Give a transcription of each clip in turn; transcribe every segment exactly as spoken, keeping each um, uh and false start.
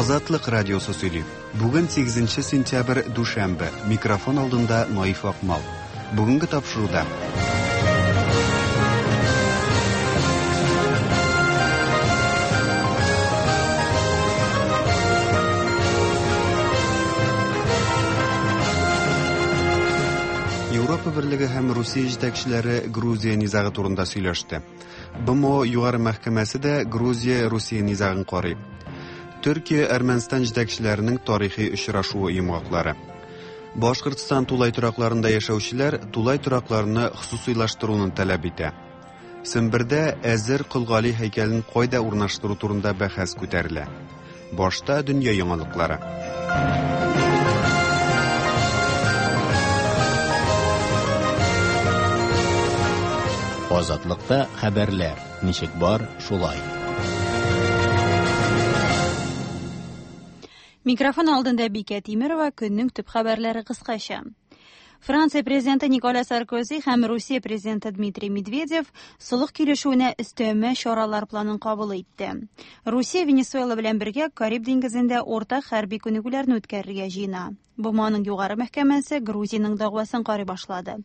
Азатлык радиосы сөйли. Бүген сигезенче сентябрь, дүшәмбе. Микрофон алдында Наиф Акмал. Бүгенге тапшыруда. Европа Берлеге һәм Русия җитәкчеләре Грузия низагы турында сөйләште. Б М О Югары мәхкәмәсе дә Грузия-Русия низагын карый. Төркия Әрмәнстан җитәкчеләренең тарихи очрашуы йомгаклары. Башкортстан тулай торакларында яшәүчеләр тулай торакларны хосусыйлаштыруны таләп итә. Сембердә әзер Кол Гали һәйкәлен кайда урнаштыру турында бәхәс күтәрелә. Башта дөнья яңалыклары. Азатлыкта хәбәрләр ничек бар, шулай. Микрофон алдында Бикә Тимирова, көннең төп хәбәрләре кыскача. Франция президенты Николя Саркози һәм Русия президенты Дмитрий Медведев солых килешүенә өстәмә чаралар планын кабул итте. Русия Венесуэла белән бергә Кариб диңгезендә уртак хәрби күнегүләрне үткәрергә җыена. Б М Оның югары мәхкәмәсе Грузиянең дәгъвасын карый башлады.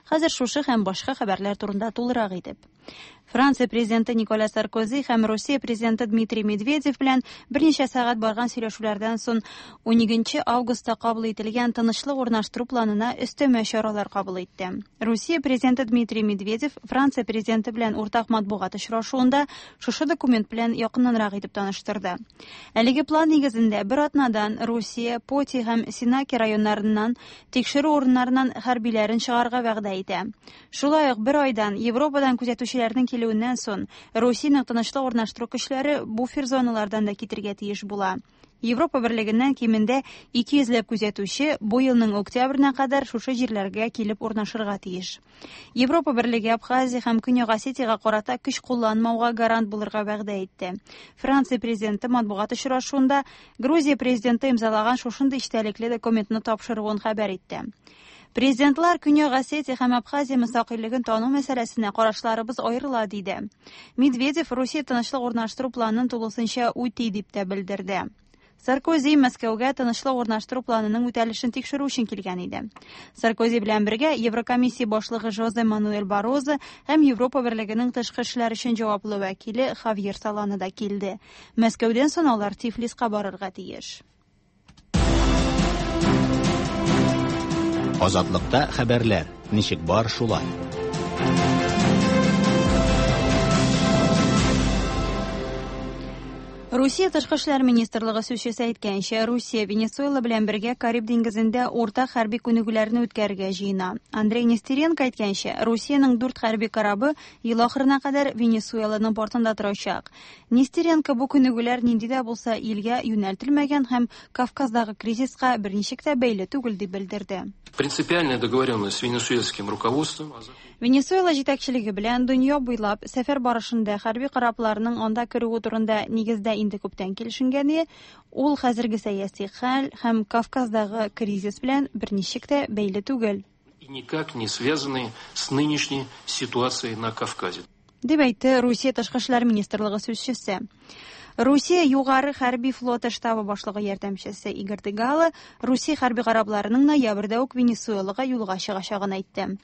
Хәзер шушы һәм башка хәбәрләр турында тулырак итеп. Франция президенты Николя Саркози һәм Русия президенты Дмитрий Медведев белән берничә сәгать барган сөйләшүләрдән соң уникенче августта кабул ителгән тынычлык урнаштыру планына өстәмә чаралар кабул итте. Русия президенты Дмитрий Медведев Франция президенты белән уртак матбугат очрашуында шушы документ белән якыннанрак итеп таныштырды. Әлеге план нигезендә бер атнадан Русия Поти һәм Сенаки районнарыннан тикшерү урыннарыннан хәрбиләрен чыгарга вәгъдә итә. Шулай ук бер айдан Европадан күзәтүчеләрнең килүеннән соң Русиянең тынычлык урнаштыру көчләре буфер зоналардан да китергә тиеш була. Европа Берлегеннән кимендә ике йөзләп күзәтүче бу елның октябренә кадәр шушы җирләргә килеп урнашырга тиеш. Европа Берлеге Абхазия һәм Көньяк Осетиягә карата көч кулланмауга гарант булырга вәгъдә итте. Франция президенты матбугат очрашуында Грузия президенты имзалаган шушындый эчтәлекле документны тапшыруын хәбәр итте. Президентлар Көньяк Осетия һәм Абхазия мөстәкыйльлеген тану мәсьәләсенә карашларыбыз аерыла диде. Медведев Русия тынычлык урнаштыру планын тулысынча үти дип тә белдерде. Саркози Мәскәүгә тынычлык урнаштыру планының үтәлешен тикшерү өчен килгән иде. Саркози белән бергә Еврокомиссия башлыгы Жозе Мануэль Баррозо һәм Европа Берлегенең тышкы эшләр өчен җаваплы вәкиле Хавьер Солана да килде. Мәскәүдән соң алар Тифлиска барырга тиеш. Азатлыкта хәбәрләр ничек бар, шулай. Русия Тышкы эшләр министрлыгы сүзчесе әйткәнчә, Русия Венесуэла белән бергә Кариб диңгезендә уртак хәрби күнегүләрне үткәрергә җыена. Андрей Нестеренко әйткәнчә, Русиянең дүрт хәрби корабы ел ахырына кадәр Венесуэланың портында торачак. Нестеренко бу күнегүләр нинди дә булса илгә юнәлтелмәгән һәм Кавказдагы кризиска берничек тә бәйле түгел дип белдерде. Принципиальная договоренность с венесуэльским руководством. Венесуэла җитәкчелеге белән дөнья буйлап сәфәр барышында хәрби корабларның анда керүе турында нигездә инде күптән килешенгәне, ул хәзерге сәяси хәл һәм Кавказдагы кризис белән берничек тә бәйле түгел. И никак не связаны с нынешней ситуацией на Кавказе. Дип әйтте Русия Тышкы эшләр министрлыгы сүзчесе. Русия югары хәрби флоты штабы башлыгы ярдәмчесе Игорь Дыгало Русия хәрби корабларының ноябрьдә үк Венесуэлага юлга чыгачагын әйтте.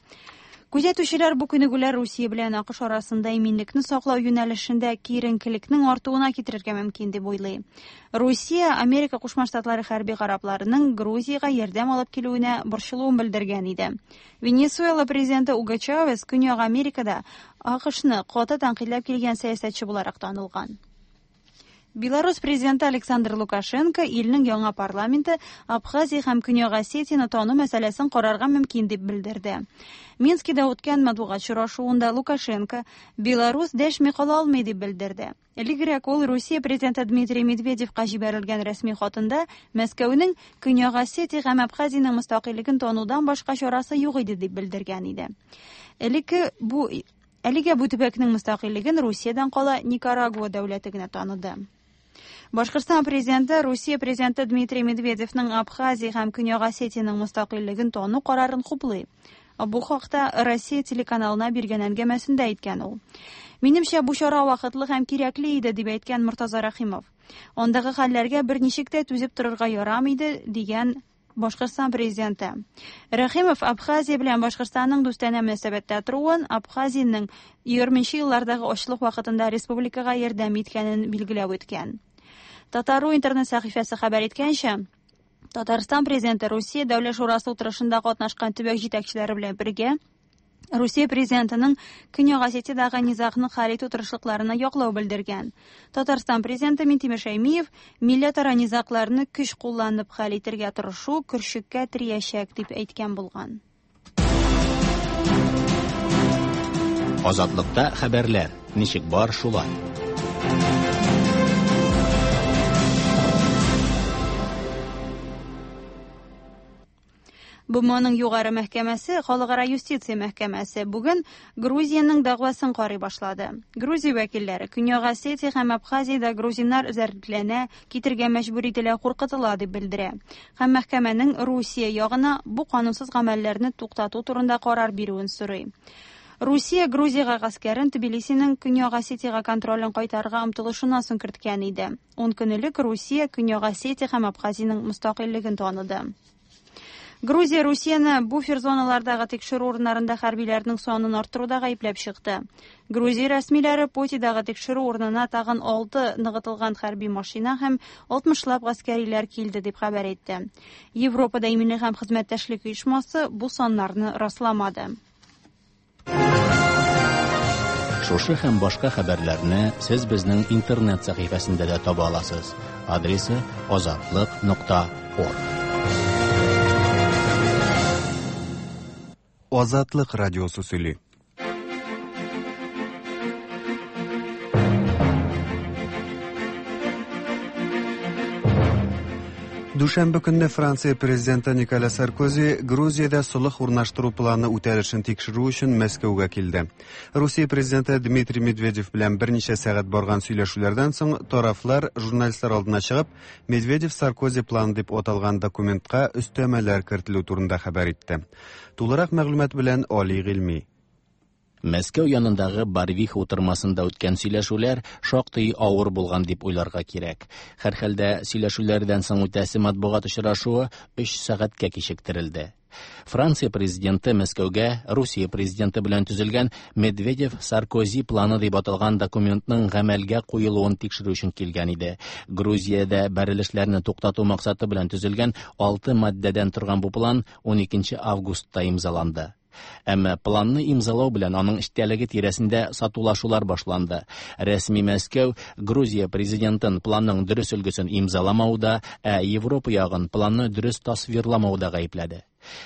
Күзәтүчеләр бу күнегүләр Русия белән А К Ш арасында иминлекне саклау юнәлешендә киеренкелекнең артуына китерергә мөмкин дип уйлый. Русия Америка Кушма Штатлары хәрби корабларының Грузиягә ярдәм алып килүенә борчылуын белдергән иде. Венесуэла президенты Уго Чавес Көньяк Америкада А К Шны каты тәнкыйтьләп килгән сәясәтче буларак танылган. Беларусь президенты Александр Лукашенко илнең яңа парламенты Абхазия һәм Көньяк Осетияне тану мәсьәләсен карарга мөмкин дип белдерде. Минскида үткән матбугат очрашуында Лукашенко Беларусь дәшми кала алмый дип белдерде. Элегрәк ул Русия президенты Дмитрий Медведевка җибәрелгән рәсми хатында Мәскәүнең Көньяк Осетия һәм Абхазиянең мөстәкыйльлеген танудан башка чарасы юк иде дип белдергән иде. Элекке бу Әлегә бу төбәкнең мөстәкыйльлеген Русиядән кала Никарагуа дәүләте генә таныды. Башкортстан президенты Русия президенты Дмитрий Медведевның Абхазия һәм Көньяк Осетиянең мөстәкыйльлеген тану карарын хуплый. Бу хакта Россия телеканалына биргән әңгәмәсендә әйткән ул. Минемчә, бу чара вакытлы һәм кирәкле иде, дип әйткән Мортаза Рәхимов. Андагы хәлләргә берничек тә түзеп торырга ярамый иде, дигән Башкортстан президенты. Рәхимов Абхазия белән Башкортстанның дустанә мөнәсәбәттә торуын, Абхазиянең егерменче еллардагы ачлык вакытында республикага ярдәм иткәнен билгеләп үткән. Татару интернет сәхифәсе хәбәр иткәнчә, Татарстан президенты Русия Дәүләт шурасы утырышында катнашкан төбәк җитәкчеләре белән бергә Русия президентының Көньяк Осетиядагы низагны хәл итү тырышлыкларына яклау белдергән. Татарстан президенты Минтимер Шәймиев милләтара низагларны көч кулланып хәл итәргә тырышу көршеккә тиячәк дип әйткән булган. Азатлыкта хәбәрләр ничек бар шулай. БМОның югары мәхкәмәсе, Халыкара юстиция мәхкәмәсе бүген Грузиянең дәгъвасын карый башлады. Грузия вәкилләре Көньяк Осетия һәм Абхазиядә грузиннар эзәрлекләнә, китергә мәҗбүр ителә, куркытыла дип белдерә. Һәм мәхкәмәнең Русия ягына бу канунсыз гамәлләрне туктату турында карар бирүен сорый. Русия Грузиягә гаскәрен Тбилисиның Көньяк Осетиягә контролен кайтарырга омтылышыннан соң керткән иде. Ун көн элек Русия Көньяк Осетия һәм Абхазиянең мөстәкыйльлеген таныды. Грузия Русияне буфер зоналардагы тикшерү урыннарында хәрбиләрнең санын арттыруда гаепләп чыкты. Грузия рәсмиләре Потидагы тикшерү урынына тагын алты ныгытылган хәрби машина һәм алтмышлап гаскәриләр килде дип хәбәр итте. Европада иминлек һәм хезмәттәшлек оешмасы бу саннарны расламады. Шушы һәм башка хәбәрләрне сез безнең интернет сәхифәсендә дә таба аласыз. Адресы азатлык нокта орг. Азатлык радиосы сөйли. Дүшәмбе көнне Франция президенты Николя Саркози Грузиядә солых урнаштыру планы үтәлешен тикшерү өчен Мәскәүгә килде. Русия президенты Дмитрий Медведев белән берничә сәгать барган сөйләшүләрдән соң тарафлар журналистлар алдына чыгып, Медведев-Саркози планы дип аталган документка өстәмәләр кертелү турында хәбәр итте. Тулырак мәгълүмат белән Али Гыйльми. Мәскәү янындагы Барвиха утырмасында үткән сөйләшүләр шактый авыр булган дип уйларга кирәк. Һәрхәлдә сөйләшүләрдән соң үтәсе матбугат очрашуы өч сәгатькә кичектерелде. Франция президенты Мәскәүгә Русия президенты белән төзелгән Медведев-Саркози планы дип аталган документның гамәлгә куелуын тикшерү өчен килгән иде. Грузиядә бәрелешләрне туктату максаты белән төзелгән алты маддәдән торган бу план ун икенче августта имзаланды. Әмма планны имзалау белән аның эчтәлеге тирәсендә сатулашулар башланды. Рәсми Мәскәү Грузия президентын планның дөрес өлгесен имзаламауда, ә Европа ягын планны дөрес тасвирламауда гаепләде.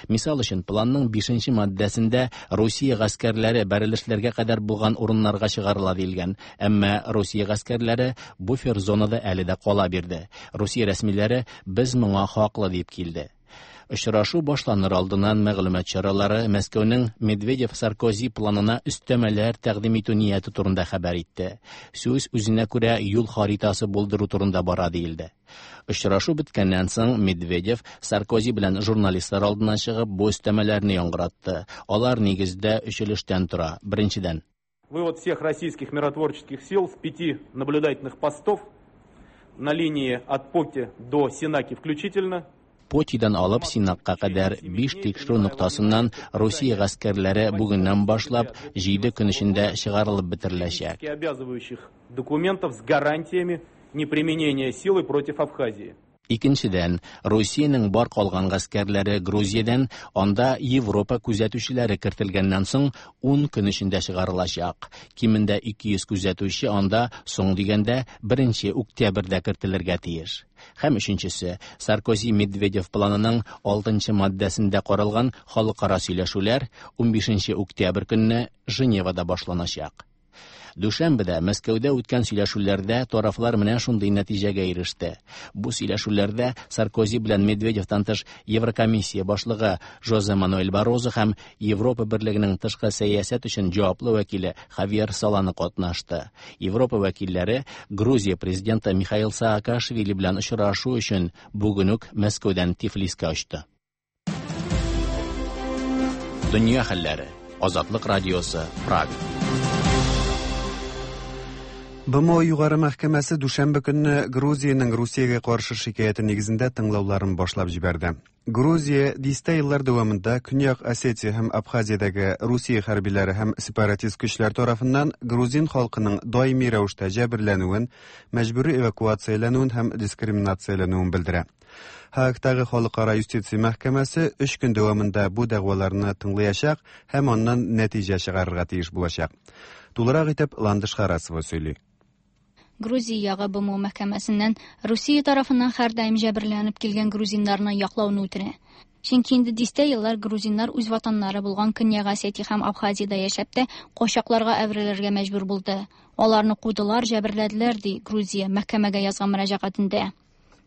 Мисал өчен, планның бишенче маддәсендә Русия гаскәрләре бәрелешләргә кадәр булган урыннарга чыгарыла диелгән, әмма Русия гаскәрләре буфер зонада әле дә кала бирде. Русия рәсмиләре без моңа хаклы дип килде. Очрашу башланыр алдыннан мәгълүмат чаралары Мәскәүнең Медведев-Саркози планына өстәмәләр тәкъдим итү нияте турында хәбәр итте. Сүз үзенә күрә юл харитасы булдыру турында бара диелде. Очрашу беткәннән соң Медведев Саркози белән журналистлар алдына чыгып бу өстәмәләрне яңгыратты. Алар нигездә өч өлештән тора. Беренчедән, вывод всех российских миротворческих сил с пяти наблюдательных постов на линии от Поти до Сенаки включительно. Потидан алып Синакка кадәр биш тикшерү ноктасыннан Русия гаскәрләре бүгеннән башлап җиде көн эчендә чыгарылып бетереләчәк. Обязывающих документов с гарантиями неприменения силы против Абхазии. Икенчедән, Русиянең бар калган гаскәрләре Грузиядән анда Европа күзәтүчеләре кертелгәннән соң ун көн эчендә чыгарылачак. Кимендә ике йөз күзәтүче анда соң дигәндә беренче октябрьдә кертелергә тиеш. Һәм өченчесе, Саркози-Медведев планының алтынчы маддәсендә каралган халыкара сөйләшүләр унбишенче октябрь көнне Женевада башланачак. Дүшәмбедә Мәскәүдә үткән сөйләшүләрдә тарафлар менә шундый нәтиҗәгә иреште. Бу сөйләшүләрдә Саркози белән Медведевтан тыш Еврокомиссия башлыгы Жозе Мануэль Баррозо һәм Европа Берлегенең тышкы сәясәт өчен җаваплы вәкиле Хавьер Солана катнашты. Европа вәкилләре Грузия президенты Михаил Саакашвили белән очрашу өчен бүген үк Мәскәүдән Тифлискә очты. Дөнья хәлләре. Азатлык радиосы, Прага. БМО Югары мәхкәмәсе дүшәмбе көнне Грузиянең Русиягә каршы шикаяте нигезендә тыңлауларын башлап җибәрде. Грузия дистә еллар дәвамында Көньяк Осетия һәм Абхазиядәге Русия хәрбиләре һәм сепаратист көчләр тарафыннан грузин халкының даими рәвештә җәберләнүен, мәҗбүри эвакуацияләнүен һәм дискриминацияләнүен белдерә. Һаагтагы халыкара юстиция мәхкәмәсе өч көн дәвамында бу дәгъваларны тыңлаячак һәм аннан нәтиҗә чыгарырга тиеш булачак. Тулырак итеп Ландыш Харасова сөйли. Грузия ягы БМО мәхкәмәсеннән Русия тарафыннан һәрдаим җәберләнеп килгән грузиннарны яклауны үтенә. Чөнки инде дистә еллар грузиннар үз ватаннары булган Көньяк Осетия һәм Абхазиядә яшәп тә качакларга әверелергә мәҗбүр булды. Аларны кудылар, җәберләделәр, ди Грузия мәхкәмәгә язган мөрәҗәгатендә.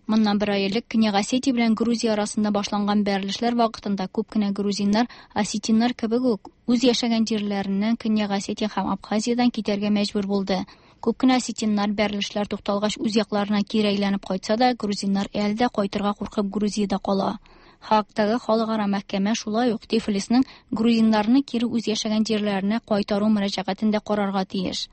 Моннан бер ай элек Көньяк Осетия белән Грузия арасында башланган бәрелешләр вакытында күп кенә грузиннар осетиннар кебек үк үз яшәгән җирләреннән Көньяк Осетия һәм Абхазиядән китәргә мәҗбүр булды. Күп кенә осетиннар бәрелешләр тукталгач үз якларына кире әйләнеп кайтса да, грузиннар әле дә кайтырга куркып Грузиядә кала. Һаагтагы халыкара мәхкәмә шулай ук Тифлисның грузиннарны кире үз яшәгән җирләренә кайтару мөрәҗәгатен дә карарга тиеш.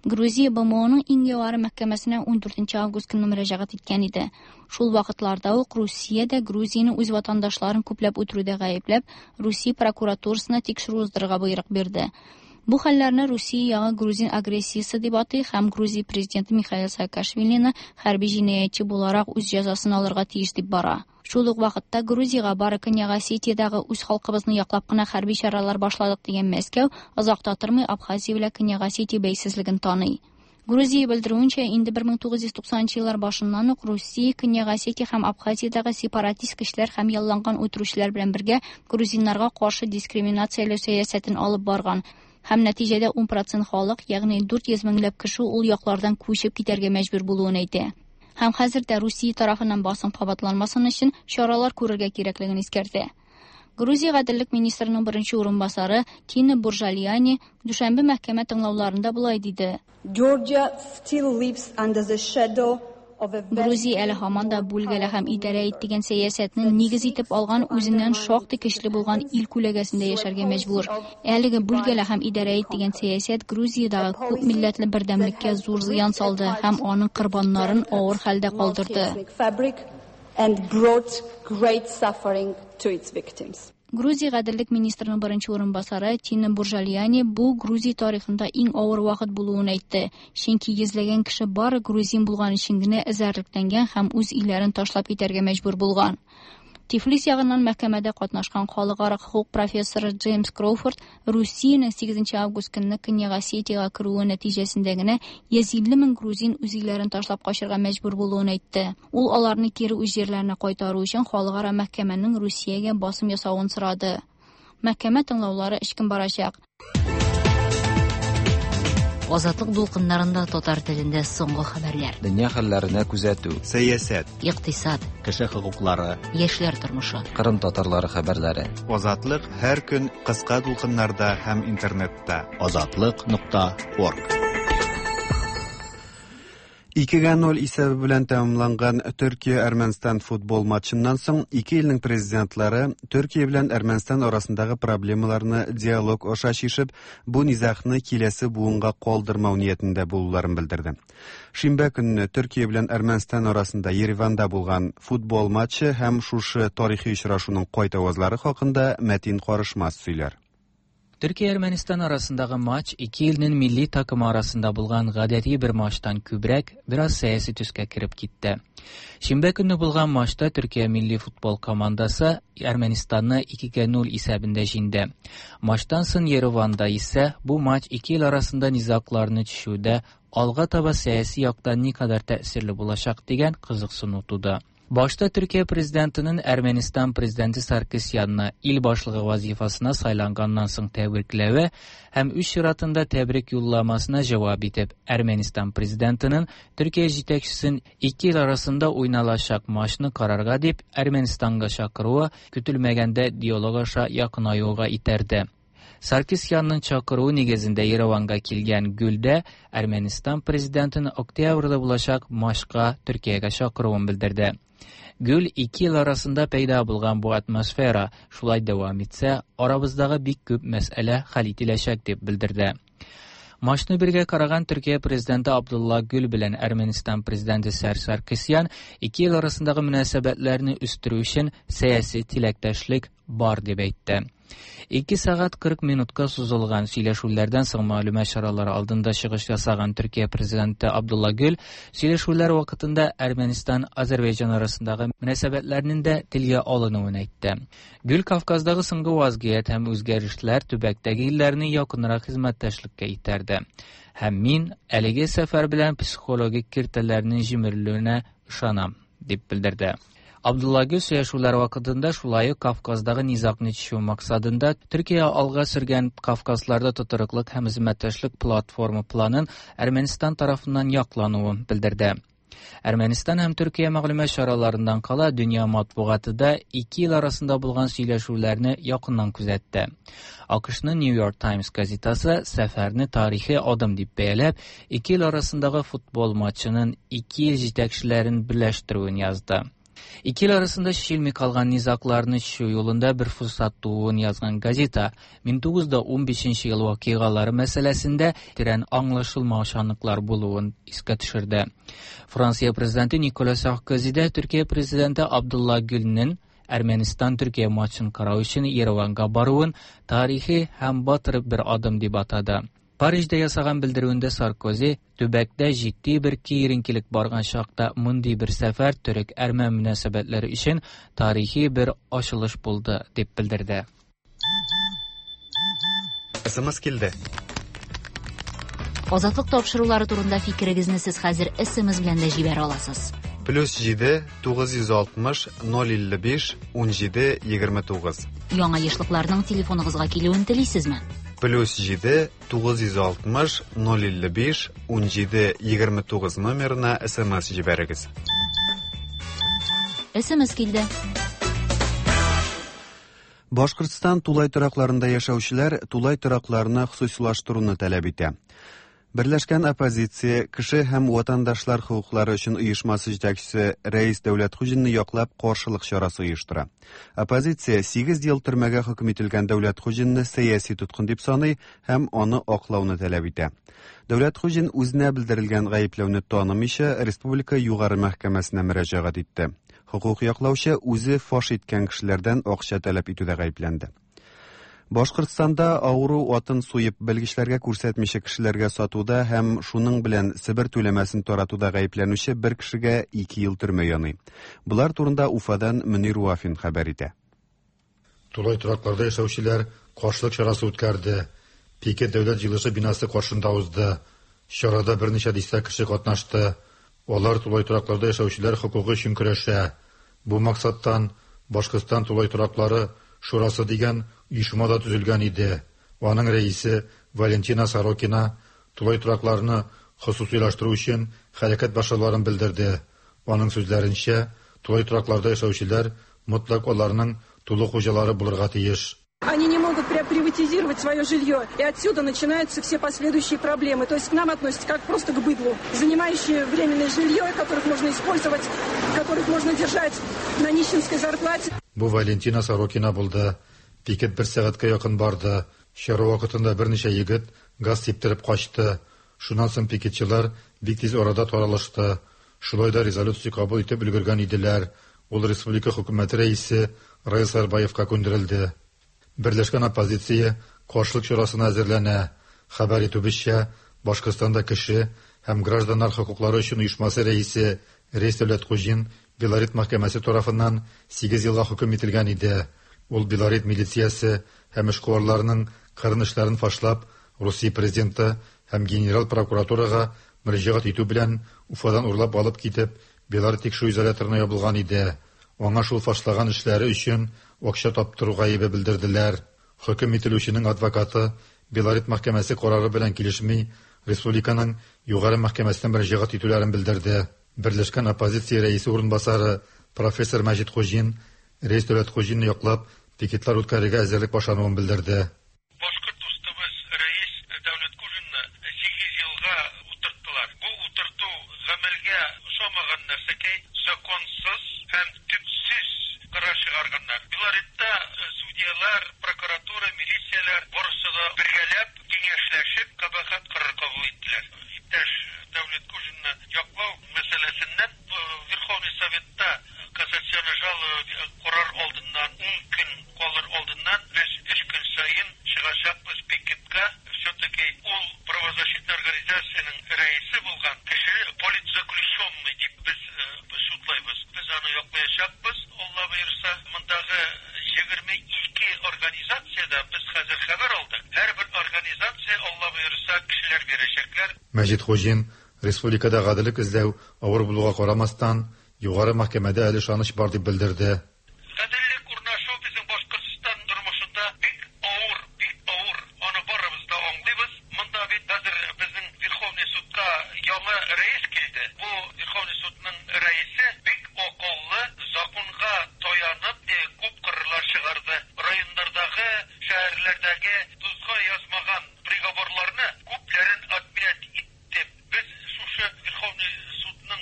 Грузия БМОның иң югары мәхкәмәсенә ун дүртенче август көнне мөрәҗәгать иткән иде. Шул вакытларда ук Русия дә Грузияне үз ватандашларын күпләп үтерүдә гаепләп, Русия прокуратурасына тикшерү уздырырга боерык бирде. Бу хәлләрне Русия ягы грузин агрессиясе дип атый һәм Грузия президенты Михаил Саакашвилины хәрби җинаятьче буларак үз җәзасын алырга тиеш дип бара. Шул ук вакытта Грузиягә бары Көньяк Осетиядәге үз халкыбызны яклап кына хәрби чаралар башладык дигән Мәскәү озак та тормый Абхазия белән Көньяк Осетия бәйсезлеген таный. Грузия белдерүенчә, инде бер мең тугыз йөз туксанынчы еллар башыннан ук Русия Көньяк Осетия һәм Абхазиядәге сепаратист көчләр һәм ялланган үтерүчеләр белән бергә грузиннарга каршы дискриминацияләү сәясәтен алып барган. Һәм нәтиҗәдә ун процент халык, ягъни дүрт йөз меңләп кеше ул яклардан күчеп китәргә мәҗбүр булуын әйтә. Һәм хәзер дә Русия тарафыннан басым кабатланмасын өчен чаралар күрергә кирәклеген искәртә. Грузия гаделлек министрының беренче урынбасары Тина Буржалияни дүшәмбе мәхкәмә тыңлауларында болай диде. Georgia still lives under the shadow Грузия әле һаман да бүлгәлә һәм идарә ит дигән сәясәтне нигез итеп алган үзеннән шактый көчле булган ил күләгәсендә яшәргә мәҗбүр. Әлеге бүлгәлә һәм идарә ит дигән сәясәт Грузиядәге күп милләтле бердәмлеккә зур зыян салды һәм аның корбаннарын авыр хәлдә калдырды. And brought great suffering to its victims. Грузия гаделлек министрының беренче урынбасары Тина Буржалияни бу Грузия тарихында иң авыр вакыт булуын әйтте. Чөнки йөзләгән кеше бары грузин булган өчен генә эзәрлекләнгән һәм үз илләрен ташлап китәргә мәҗбүр булган. Тифлис ягыннан мәхкәмәдә катнашкан халыкара хукук профессоры Джеймс Кроуфорд Русиянең сигезенче август көнне Көньяк Осетиягә керүе нәтиҗәсендә генә йөз илле мең грузин үз илләрен ташлап качырга мәҗбүр булуын әйтте. Ул аларны кире үз җирләренә кайтару өчен халыкара мәхкәмәнең Русиягә басым ясавын сорады. Мәхкәмә тыңлаулары өч көн барачак. Азатлык дулкыннарында татар телендә соңгы хәбәрләр. Дөнья хәлләренә күзәтү. Сәясәт. Икътисад. Кеше хокуклары. Яшьләр тормышы. Кырым татарлары хәбәрләре. Азатлык һәр көн кыска дулкыннарда һәм интернетта. Азатлык нокта орг. Икегә ноль исәбе белән тәмамланган Төркия-Әрмәнстан футбол матчыннан соң ике илнең президентлары Төркия белән Әрмәнстан арасындагы проблемаларны диалог аша чишеп, бу низагны киләсе буынга калдырмау ниятендә булуларын белдерде. Шимбә көнне Төркия белән Әрмәнстан арасында Ереванда булган футбол матчы һәм шушы тарихи очрашуның кайтавазлары хакында Мәтин Карышмас сөйләр. Төркия-Әрмәнстан арасындагы матч ике илнең милли такымы арасында булган гадәти бер матчтан күбрәк бераз сәяси төскә кереп китте. Шимбә көнне булган матчта Төркия милли футбол командасы Әрмәнстанны икегә ноль исәбендә җиңде. Матчтан соң Ереванда исә бу матч ике ил арасында низагларны чишүдә алга таба сәяси яктан никадәр тәэсирле булачак дигән кызыксыну туды. Башта Төркия президентының Әрмәнстан президенты Саркисянны ил башлыгы вазифасына сайланганнан соң тәбрикләве һәм үз чиратында тәбрик юлламасына җавап итеп, Әрмәнстан президентының Төркия җитәкчесен ике ил арасында уйналачак матчны карарга дип Әрмәнстанга чакыруы көтелмәгәндә диалог аша якынаюга итәрде. Саркисянның чакыруы нигезендә Ереванга килгән Гүлдә Әрмәнстан президентының октябрьдә булачак матчка Төркиягә чакыруын белдерде. Гүл ике ел арасында пәйда булган бу атмосфера шулай дәвам итсә, арабыздагы бик күп мәсьәлә хәл ителәчәк дип белдерде. Матчны бергә караган Төркия президенты Абдулла Гүл белән Әрмәнстан президенты Серж Саркисян ике ил арасындагы мөнәсәбәтләрне үстерү өчен сәяси теләктәшлек бар дип әйтте. Ике сәгать кырык минутка сузылган сөйләшүләрдән соң мәгълүмат чаралары алдында чыгыш ясаган Төркия президенты Абдулла Гүл сөйләшүләр вакытында Әрмәнстан-Азәрбайҗан арасындагы мөнәсәбәтләрнең дә телгә алынуын әйтте. Гүл Кавказдагы соңгы вазгыять һәм үзгәрешләр төбәктәге илләрне якынрак хезмәттәшлеккә этәрде. Һәм мин әлеге сәфәр белән психологик киртәләрнең җимерелүенә ышанам, дип белдерде. Абдулла Гүл сөйләшүләр вакытында шулай ук Кавказдагы низагны чишү максатында Төркия алга сөргән Кавказларда тотрыклык һәм хезмәттәшлек платформа планын Әрмәнстан тарафыннан яклануын белдерде. Әрмәнстан һәм Төркия мәгълүмат чараларыннан кала дөнья матбугаты да ике ил арасында булган сөйләшүләрне якыннан күзәтте. АКШның New York Times газетасы сәфәрне тарихи адым дип бәяләп, ике ил арасындагы футбол матчының ике ил җитәкчеләрен берләштерүен язды. Ике ил арасында чишелми калган низагларны чишү юлында бер форсат тууын язган газета мең тугыз йөз унбишенче ел вакыйгалары мәсьәләсендә тирән аңлашылмаучанлыклар булуын искә төшерде. Франция президенты Никола Саркози дә Төркия президенты Абдулла Гүлнең Әрмәнстан-Төркия матчын карау өчен Ереванга баруын тарихи һәм батыр бер адым дип атады. Парижда ясаган белдерүендә Саркози төбәктә җитди бер киеренкелек барган чакта мондый бер сәфәр төрек-әрмән мөнәсәбәтләре өчен тарихи бер ачылыш булды дип белдерде. СМС килде. Азатлык тапшырулары турында фикерегезне сез хәзер СМС белән дә җибәрә аласыз. Плюс җиде тугыз йөз алтмыш ноль илле биш ун җиде егерме тугыз. Яңа ешлыкларның телефоныгызга килүен телисезме? Плюс җиде тугыз йөз алтмыш ноль илле биш ун җиде егерме тугыз номерына СМС җибәрегез. СМС килде. Башкортстан тулай торакларында яшәүчеләр тулай торакларны хосусилаштыруны таләп итә. Берләшкән оппозиция кеше һәм ватандашлар хокуклары өчен оешмасы җитәкчесе Рәис Дәүләтхуҗинны яклап каршылык чарасы оештыра. Оппозиция сигез ел төрмәгә хөкем ителгән Дәүләтхуҗинны сәяси тоткын дип саный һәм аны аклауны таләп итә. Дәүләтхуҗин үзенә белдерелгән гаепләүне танымыйча Республика Югары мәхкәмәсенә мөрәҗәгать итте. Хокук яклаучы үзе фаш иткән кешеләрдән акча таләп итүдә гаепләнде. Башкортстанда авыру атын суеп белгечләргә күрсәтмичә кешеләргә сатуда һәм шуның белән Себер түләмәсен таратуда гаепләнүче бер кешегә ике ел төрмә яный. Булар турында Уфадан Мөнир Вафин хәбәр итә. Тулай торакларда яшәүчеләр каршылык чарасы үткәрде. Пикет дәүләт җыелышы бинасы каршында узды. Чарада берничә дистә кеше катнашты. Алар тулай торакларда яшәүчеләр хокукы өчен көрәшә. Бу максаттан Башкортстан тулай тораклары Шурасы дигән оешма да төзелгән иде. Аның рәисе Валентина Сорокина тулай торакларны хосусилаштыру өчен хәрәкәт башлауларын белдерде. Аның сүзләренчә, тулай торакларда яшәүчеләр мотлак аларның тулы хуҗалары булырга тиеш. Они не могут приватизировать свое жилье, и отсюда начинаются все последующие проблемы. То есть к нам относятся как просто к быдлу, занимающие временное жилье, которых можно использовать, которых можно держать на нищенской зарплате. Бу Валентина Сорокина булды. Пикет бер сәгатькә якын барды. Чара вакытында берничә егет газ сиптереп качты. Шуннан соң пикетчылар бик тиз арада таралышты. Шулай да резолюция кабул итеп өлгергән иделәр. Ул республика хөкүмәте рәисе Раил Сарбаевка күндерелде. Берләшкән оппозиция каршылык чарасына әзерләнә. Хәбәр итүебезчә, Башкортстанда кеше һәм гражданнар хокуклары өчен оешмасы рәисе Рәис Дәүләтхуҗин Белорет мәхкәмәсе тарафыннан сигез елга хөкем ителгән иде. Ул Белорет милициясе һәм эшкуарларының кырын эшләрен фашлап, Русия президенты һәм генерал прокуратурага мөрәҗәгать итү белән Уфадан урлап алып китеп, Белорет тикшерү изоляторына ябылган иде. Аңа шул фашлаган эшләре өчен акча таптыру гаебе белдерделәр. Хөкем ителүченең адвокаты Белорет мәхкәмәсе карары белән килешми, республиканың югары мәхкәмәсенә мөрәҗәгать итүләрен белдерде. Берләшкән оппозиция рәисе урынбасары профессор Мәҗит Хуҗин Рәис Дәүләтхуҗинны яклап пикетлар үткәрергә әзерлек башлануын белдерде. Башкорт дустыбыз Рәис Дәүләтхуҗинны сигез елга утырттылар. Бу утырту гамәлгә ошамаган нәрсәкәй, законсыз һәм төпсез карар чыгарганнар. Белоретта судьялар, прокуратура, милицияләр барысы да бергәләп, киңәшләшеп кабахат карар турында без хәзер хәбәр алдык. Һәрбер организация, Алла боерса, кешеләр бирәчәкләр. Мәҗит Хуҗин республикада гаделлек эзләү авыр булуга карамастан, югары мәхкәмәдә әле ышаныч бар дип белдерде. Гаделлек урнашу безнең Башкортстан тормышында бик авыр, бик авыр. Аны барыбыз да аңлыйбыз. Монда бит хәзер безнең Верховный судка яңа рәис килде. Бу Верховный судның рәисе бик акыллы, законга таянып, күп карарлар чыгарды. Районнардагы, шәһәрләрдәге тузга язмаган приговорларны күпләрен отменять итте. Без шушы Верховный судның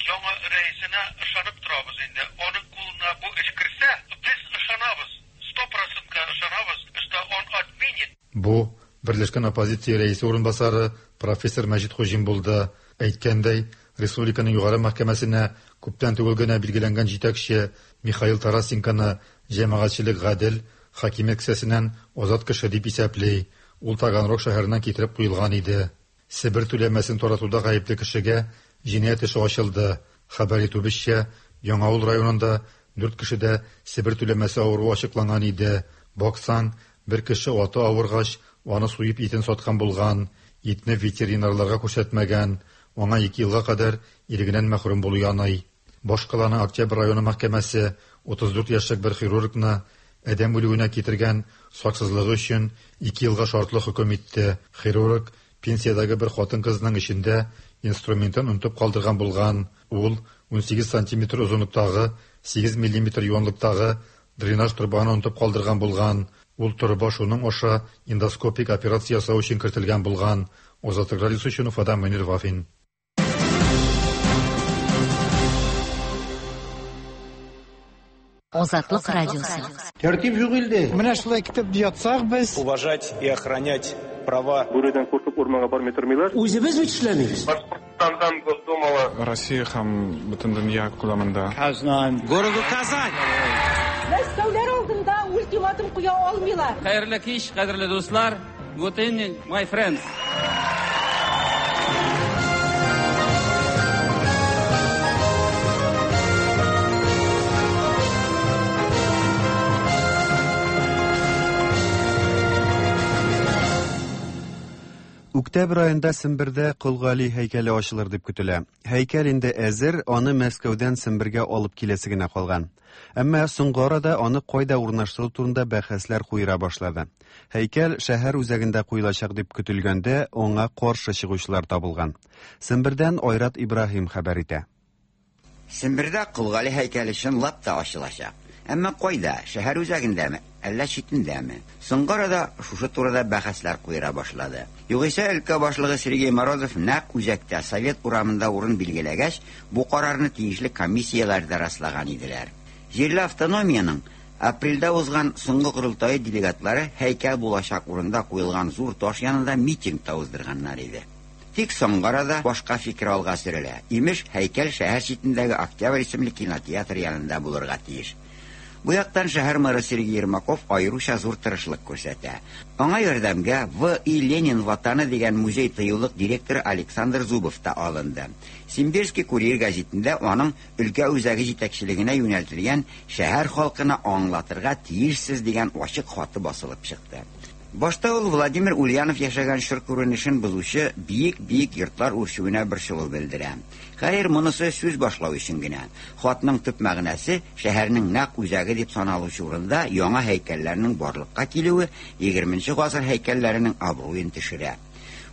яңа рәисенә ышанып торабыз инде. Аның кулына бу эш керсә, без ышанабыз. Сто процентка ышанабыз, что он отменит. Бу Берләшкән оппозиция рәисе урынбасары профессор Мәҗит Хуҗин булды. Әйткәндәй, республиканың югары мәхкәмәсенә күптән түгел генә билгеләнгән җитәкче Михаил Тарасенконы җәмәгатьчелек гадел хакимият кесәсеннән азат кеше дип исәпли. Ул Таганрог шәһәреннән китереп куелган иде. Себер түләмәсен таратуда гаепле кешегә җинаять эше ачылды. Хәбәр итүебезчә, Яңавыл районында дүрт кешедә Себер түләмәсе авыруы ачыкланган иде. Баксаң, бер кеше аты авыргач, аны суеп итен саткан булган, итне ветеринарларга күрсәтмәгән, аңа ике елга кадәр ирегеннән мәхрүм булу яный. Башкаланың Октябрь районы мәхкәмәсе утыз дүрт яшьлек бер хирургны адәм үлүенә китергән саксызлыгы өчен ике елга шартлы хөкем итте. Хирург пенсиядәге бер хатын-кызның эчендә инструментын онытып калдырган булган. Ул ун сигез сантиметр озынлыктагы, сигез миллиметр юанлыктагы дренаж торбаны онытып калдырган булган. Ул торба шуның аша эндоскопик операция ясау өчен кертелгән булган. Азатлык радиосы өчен Уфадан Мөнир Вафин. Азатлык радиосы. Тәртип юк илдә. Менә шулай китеп ятсак без. Уважать и охранять права. Бүредән куркып урманга бармый тормыйлар. Үзебез бит эшләмибез. Башкортстандан Госдумала. Россия һәм бөтен дөнья күләмендә. Казан. Городу Казань. Мәскәүләр алдында ультиматум куя алмыйлар. Хәерле кич, кадерле дуслар. Good evening, my friends. Октябрь айында Сембердә Кол Гали һәйкәле ачылыр дип көтелә. Һәйкәл инде әзер, аны Мәскәүдән Сембергә алып киләсе генә калган. Әмма соңгы арада аны кайда урнаштыру турында бәхәсләр куера башлады. Һәйкәл шәһәр үзәгендә куелачак дип көтелгәндә, аңа каршы чыгучылар табылган. Сембердән Айрат Ибраһим хәбәр итә. Сембердә Кол Гали һәйкәле чынлап та ачылачак. Әмма кайда? Шәһәр үзәгендәме, әллә читендәме? Соңгы арада шушы турыда бәхәсләр куера башлады. Югыйсә өлкә башлыгы Сергей Морозов нәкъ үзәктә Совет урамында урын билгеләгәч, бу карарны тиешле комиссияләр дә раслаган иделәр. Җирле автономиянең апрельдә узган соңгы корылтае делегатлары һәйкәл булачак урында куелган зур таш янында митинг та уздырганнар иде. Тик соңгы арада башка фикер алга сөрелә. Имеш, һәйкәл шәһәр читендәге Октябрь исемле кинотеатр янында булырга тиеш. Бу яктан шәһәр мэры Сергей Ермаков аеруча зур тырышлык күрсәтә. Аңа ярдәмгә В. И. Ленин ватаны дигән музей тыюлык директоры Александр Зубов та алынды. Симбирский курьер гәзитендә аның өлкә үзәге җитәкчелегенә юнәлтелгән шәһәр халкына аңлатырга тиешсез дигән ачык хаты басылып чыкты. Башта ул Владимир Ульянов яшәгән чор күренешен бозучы биек-биек йортлар үрчүенә борчылу белдерә. Хәер, монысы сүз башлау өчен генә. Хатның төп мәгънәсе шәһәрнең нәкъ үзәге дип саналучы урында яңа һәйкәлләрнең барлыкка килүе егерменче гасыр һәйкәлләренең абруен төшерә.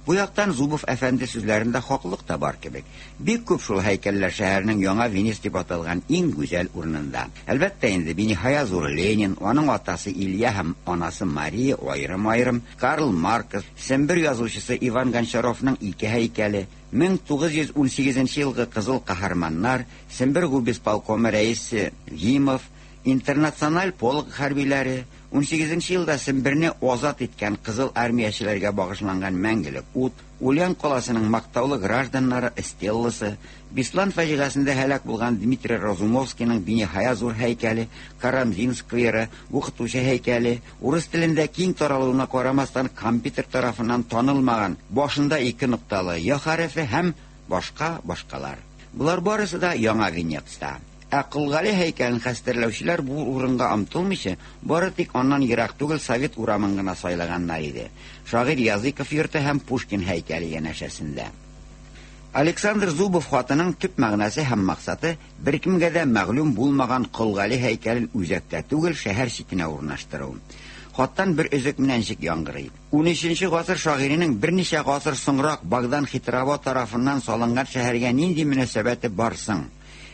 Бу яктан Зубов әфәнде сүзләрендә хаклык та бар кебек. Бик күп шул һәйкәлләр шәһәрнең яңа Венес дип аталган иң гүзәл урынында. Әлбәттә инде биниһая зур Ленин, аның атасы Илья һәм анасы Мария аерым-аерым, Карл Маркс, Сембер язучысы Иван Гончаровның ике һәйкәле, мең тугыз йөз ун сигезенче елгы Кызыл каһарманнар, Сембер губисполкомы рәисе Гимов, Интернациональ полк хәрбиләре, ун сигезенче елда Семберне азат иткән Кызыл армиячеләргә багышланган мәңгелек ут, Ульян каласының мактаулы гражданнары Стелласы, Беслан фаҗиғасында һәлак булган Дмитрий Разумовскийның биниһая зур һәйкәле, Карамзин скверы, укытучы һәйкәле, урыс телендә киң таралуына карамастан компьютер тарафыннан танылмаган, башында ике нокталы Я хәрефе һәм башка башкалар. Булар барысы да яңа Венецта. Ә Кол Гали һәйкәлен хәстәрләүчеләр бу урынга омтылмыйча, бары тик аннан ерак түгел Совет урамын гына сайлаганнар иде. Шагыйрь Языков йорты һәм Пушкин һәйкәле янәшәсендә. Александр Зубов хатының төп мәгънәсе һәм максаты беркемгә дә мәгълүм булмаган Кол Гали һәйкәлен үзәктә түгел, шәһәр читенә урнаштыру. Хаттан бер өзек менә ничек яңгырый. Унөченче гасыр шагыйренең берничә гасыр соңрак Богдан Хитрово тарафыннан салынган шәһәргә нинди мөнәсәбәте бар соң?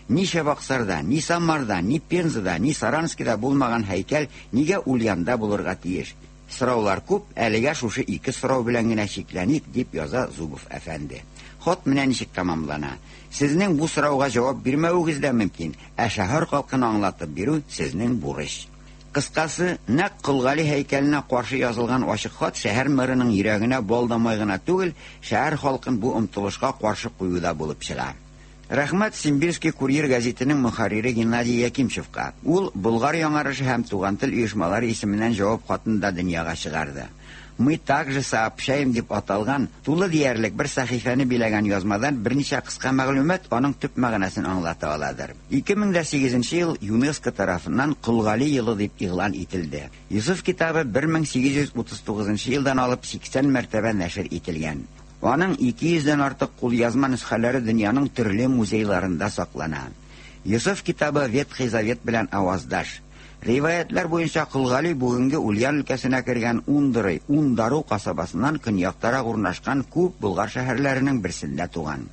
Ни Чабаксарда, ни Самарда, ни Пензада, ни Саранскида булмаган һәйкәл нигә Ульянда булырга тиеш? Сораулар күп, әлегә шушы ике сорау белән генә чикләник, дип яза Зубов әфәнде. Хат менә ничек тәмамлана. Сезнең бу сорауга җавап бирмәвегез дә мөмкин, ә шәһәр халкына аңлатып бирү сезнең бурыч. Кыскасы, нәкъ Кол Гали һәйкәленә каршы язылган ачык хат шәһәр мэрының йөрәгенә бал да май гына түгел, шәһәр халкын бу омтылышка каршы куюда булып чыга. Рәхмәт Симбирский курьер гәзитенең мөхәррире Геннадий Якимчевка. Ул Болгар яңарышы һәм Туган тел оешмалары исеменнән җавап хатын да дөньяга чыгарды. Мы также сообщаем дип аталган тулы диярлек бер сәхифәне биләгән язмадан берничә кыска мәгълүмат аның төп мәгънәсен аңлата аладыр. ике мең дә сигезенче ел ЮНЕСКО тарафыннан Кол Гали елы дип игълан ителде. Йосыф китабы бер мең сигез йөз утыз тугызынчы елдан алып сиксән мәртәбә нәшер ителгән. Аның ике йөздән артык кулъязма нөсхәләре дөньяның төрле музейларында саклана. Йосыф китабы Ветхий Завет белән аваздаш. Риваятлар буенча Кол Гали бүгенге Ульян өлкәсенә кергән Ундырый, Ундару касабасыннан көньяктарак урнашкан күп болгар шәһәрләренең берсендә туган.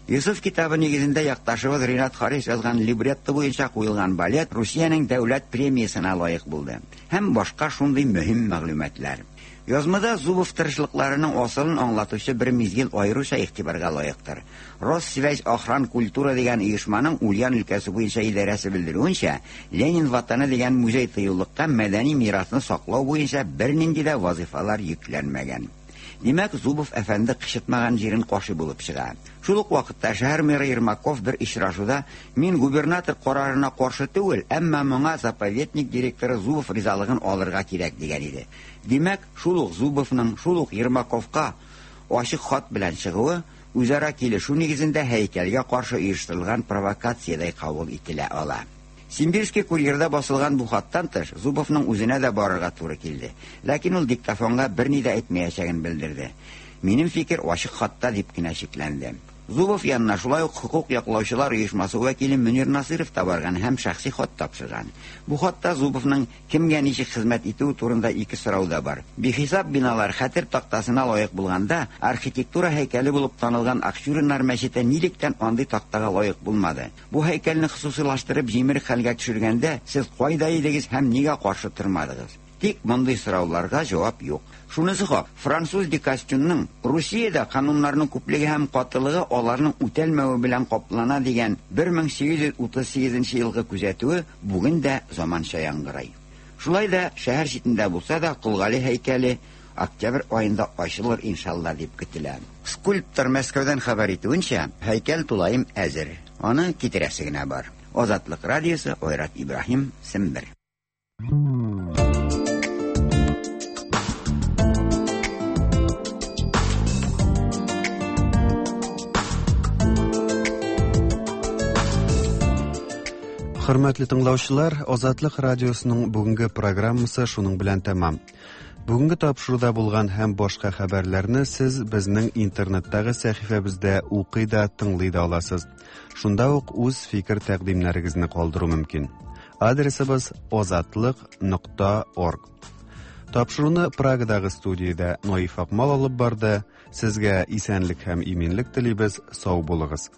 Йосыф китабы нигезендә якташыбыз Ринат Харис язган либретто буенча куелган балет Русиянең дәүләт премиясенә лаек булды. Һәм башка шундый мөһим мәгълүматлар. Язмада Зубов тырышлыкларының асылын аңлатучы бер мизгел аеруча игътибарга лаектыр. Россвязь охран культура дигән оешманың Ульян өлкәсе буенча идарәсе белдерүенчә, Ленин ватаны дигән музей тыюлыкка мәдәни мирасны саклау буенча бернинди дә вазифалар йөкләнмәгән. Димәк, Зубов әфәнде кычытмаган җирен кашы булып чыга. Шул ук вакытта шәһәр мэры Ермаков бер очрашуда мин губернатор карарына каршы түгел, әмма моңа заповедник директоры Зубов ризалыгын алырга кирәк дигән иде. Димәк, шул ук Зубовның, шул ук Ермаковка ачык хат белән чыгуы үзара килешү нигезендә һәйкәлгә каршы оештырылган провокациядәй кабул ителә ала. Симбирский курьерда басылган бу хаттан тыш Зубовның үзенә дә барырга туры килде. Ләкин ул диктофонга берни дә әйтмәячәген белдерде. Минем фикер ачык хатта дип кенә чикләнде. Зубов янына шулай ук хукук яклаучылар оешмасы вәкиле Мөнир Насыров та барган һәм шәхси хат тапшырган. Бу хатта Зубовның кемгә ничек хезмәт итүе турында ике сорау да бар. Бихисап биналар хәтер тактасына лаек булганда, архитектура һәйкәле булып танылган Акчуриннар мәчете нилектән андый тактага лаек булмады? Бу һәйкәлне хосусилаштырып җимерек хәлгә төшергәндә сез кайда идегез һәм нигә каршы тормадыгыз? Тик мондый сорауларга җавап юк. Шунысы хак, француз Декастюнның Русиядә кануннарның күплеге һәм катылыгы аларның үтәлмәве белән каплана дигән бер мең сигез йөз утыз сигезенче елгы күзәтүе бүген дә заманча яңгырай. Шулай да шәһәр читендә булса да Кол Гали һәйкәле октябрь аенда ачылыр иншалла дип көтелә. Скульптор Мәскәүдән хәбәр итүенчә, һәйкәл тулаем әзер. Аны китерәсе генә бар. Азатлык радиосы, Айрат Ибраһим, Сембер. Хөрмәтле тыңлаучылар, Азатлык радиосының бүгенге программасы шуның белән тәмам. Бүгенге тапшыруда булган һәм башка хәбәрләрне сез безнең интернеттагы сәхифәбездә укый да, тыңлый да аласыз. Шунда ук үз фикер тәкъдимнәрегезне калдыру мөмкин. Адресыбыз азатлык нокта орг. Тапшыруны Прагадагы студиядә Наиф Акмал алып барды. Сезгә исәнлек һәм иминлек телибез. Сау булыгыз.